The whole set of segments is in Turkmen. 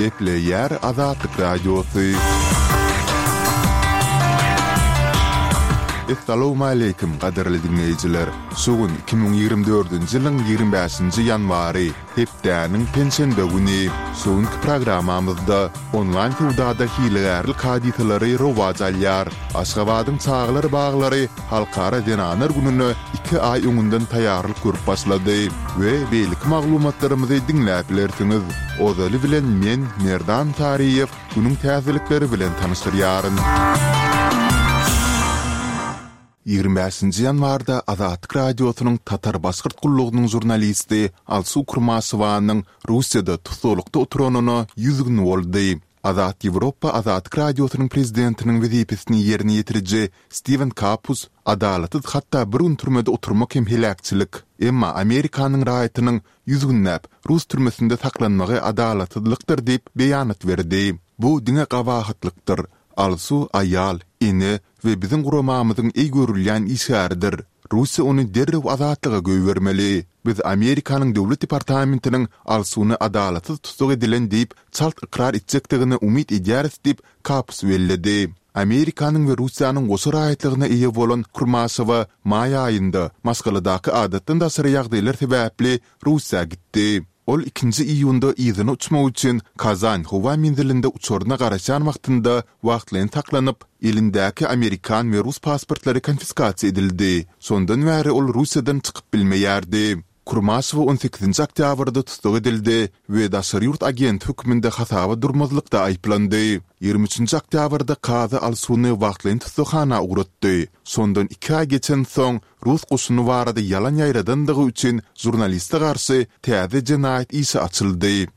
Gepleýär Azatlyk Radiosy. Essalawmaleýkim, gadyrly diňleýjiler! Şu gün 2024-nji ýylyň 25-nji ýanwary, hepdäniň penşenbe güni. Şu günki programmamyzda onlaýn söwdada hilegärlik hadysalary rowaç alýar. Aşgabadyň çagalar baglary Halkara zenanlar gününe iki aý öňünden taýýarlyk görüp başlady we beýleki maglumatlarymyzy diňläp bilersiňiz. Ozaly bilen men, Merdan Saryýew, günüň täzelikleri bilen tanyşdyrýaryn. 25-nji ýanwarda Azatlyk Radiosynyň Tatar-Başgyrt gullugynyň žurnalisti Alsu Kurmaşewanyň Russiýada tussaglykda oturanyna 100 gün boldy. Azat Ýewropa Azatlyk Radiosynyň prezidentiniň wezipesini ýerine ýetiriji Stiwen Kapus, Adalatsyz hatda bir gün türmede oturmak hem heläkçilik. Emma Amerikanyň raýatynyň ýüz günläp rus türmesinde saklanmagy adalatsyzlykdyr diýip beýanat berdi. Bu diňe gabahatlykdyr. Alsu aýal, ene we biziň guramamyzyň eý görülýän işgäridir. Russiýa ony derrew azatlyga goýbermeli. Biz Amerikanyň Döwlet departamentiniň Alsuny adalatsyz tussag edilen diýip çalt ykrar etjekdigine umyt edýäris diýip, Kapus belledi. Amerikanyň we Russiýanyň goşa raýatlygyna eýe bolan Kurmaşewa maý aýynda maşgaladaky adatdan daşary ýagdaýlar sebäpli Russiýa gitdi. Ol ikinji iýunda yzyna uçmak üçin Kazan howa menzilinde uçaryna garaşýan wagtynda wagtlaýyn saklanyp, elindäki amerikan we rus pasportlary konfiskasiýa edildi. Şondan bäri ol Russiýadan çykyp bilmeýärdi. Kurmaşewa on sekizinji oktýabrda tussag edildi we daşary ýurt agenti hökmünde hasaba durmazlykda aýyplandy. Ýigrimi üçünji oktýabrda kazy Alsuny wagtlaýyn tussaghana ugratdy. Şondan iki aý geçensoň, rus goşuny barada ýalan ýaýradandygy üçin žurnaliste garşy täze jenaýat işi açyldy.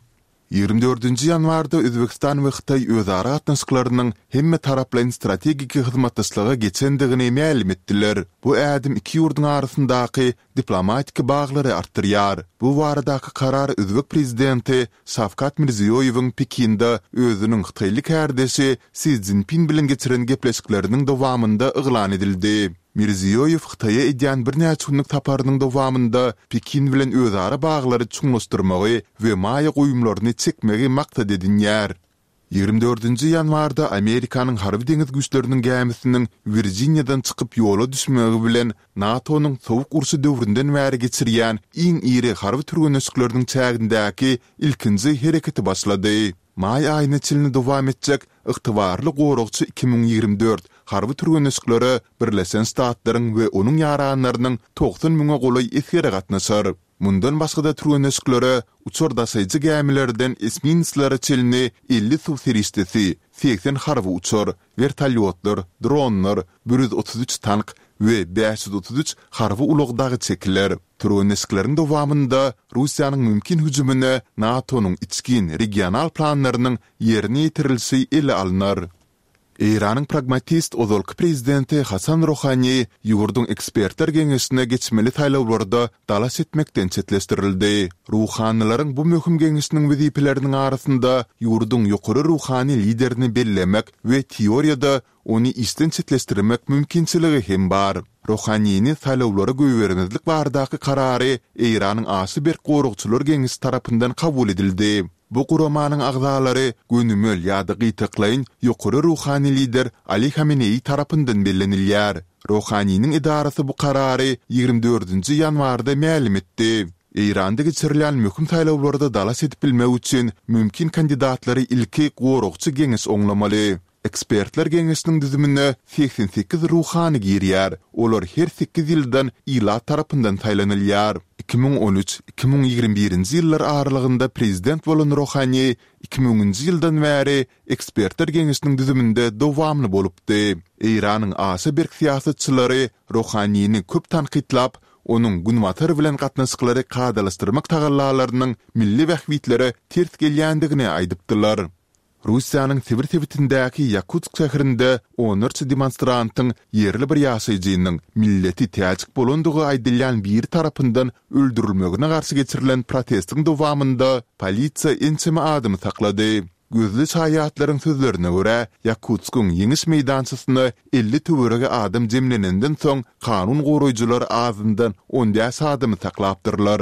Ýigrimi dördünji ýanwarda Özbegistan we Hytaý özara gatnaşyklarynyň hemmetaraplaýyn strategik hyzmatdaşlyga geçendigini mälim etdiler. Bu ädim iki ýurduň arasyndaky diplomatik baglary artdyrýar. Bu baradaky karar özbek prezidenti Şawkat Mirziýoýewiň Pekinde özüniň hytaýly kärdeşi Si Szinpin bilen geçiren gepleşikleriniň dowamynda yglan edildi. Mirziýoýew Hytaýa edýän birnäçe günlük saparynyň dowamynda Pekin bilen özara baglary çuňlaşdyrmagy we maýa goýumlaryny çekmegi maksat edinýär. Ýigrimi dördünji ýanwarda Amerikanyň Harby-deňiz güýçleriniň gämisiniň Wirjiniýadan çykyp ýola düşmegi bilen NATO-nyň Sowuk urşy döwründen bäri geçirýän iň iri harby türgenleşikleriniň çägindäki ilkinji hereketi başlady. Maý aýyna çenli dowam etjek Ygtybarly goragçy 2024 harby türgenleşiklere Birleşen Ştatlaryň we onuň ýaranlarynyň 90 müňe golaý esgeri gatnaşar. Mundan başga-da türgenleşiklere uçar daşaýjy gämilerden esminslere çenli 50 suw serişdesi, 80 harby uçar, wertolýotlar, dronlar, 133 tank we 533 harby ulag dagy çekiler. Türgenleşikleriň dowamynda Russiýanyň mümkin hüjümine NATO-nyň içgin regional planlarynyň ýerine ýetirilişi ele alnar. Eýranyň pragmatist ozalky prezidenti Hasan Rohani ýurduň ekspertler geňeşine geçmeli saýlawlarda dalaş etmekden çetleşdirildi. Ruhanylaryň bu möhüm geňeşiniň wezipeleriniň arasynda ýurduň ýokary ruhany liderini bellemek we teoriýada ony işden çetleşdirmek mümkinçiligi hem bar. Rohanini saýlawlara goýbermezlik baradaky karary Eýranyň aşa berk goragçylar geňeşi tarapyndan kabul edildi. Bu guramanyň agzalary gönümel ýa-da gytaklaýyn ýokary ruhany lider Ali Hameneýi tarapyndan bellenilýär. Rohaniniň edarasy bu karary ýigrimi dördünji ýanwarda mälim etdi. Eýranda geçirilýän möhüm saýlawlarda dalaş edip bilmek üçin mümkin kandidatlary ilki goragçy geňeş oňlamaly. Ekspertler geňeşiniň düzümine 88 ruhany girýär, olar her sekiz ýyldan ilat tarapyndan saýlanylýar. 2013, 2021-nji ýyllar aralygynda prezident bolan Rohani iki müňünji ýyldan bäri Ekspertler geňeşiniň düzüminde dowamly bolupdy. Eýranyň aşa berk syýasatçylary Rohanini köp tankytlap, onuň Günbatar bilen gatnaşyklary kadalaşdyrmak tagallalarynyň milli bähbitlere ters gelýändigini aýdypdylar. Russiýanyň Sibir sebitindäki Ýakutsk şäherinde onlarça demonstrantyň ýerli bir ýaşaýjynyň milleti täjik bolandygy aýdylýan biri tarapyndan öldürilmegine garşy geçirilen protestiň dowamynda polisiýa ençeme adamy saklady. Gözli şaýatlaryň sözlerine görä, Ýakutskyň Ýeňiş meýdançasyna 50 töweregi adam jemlenenden soň kanun goraýjylar azyndan on bäş adamy saklapdyrlar.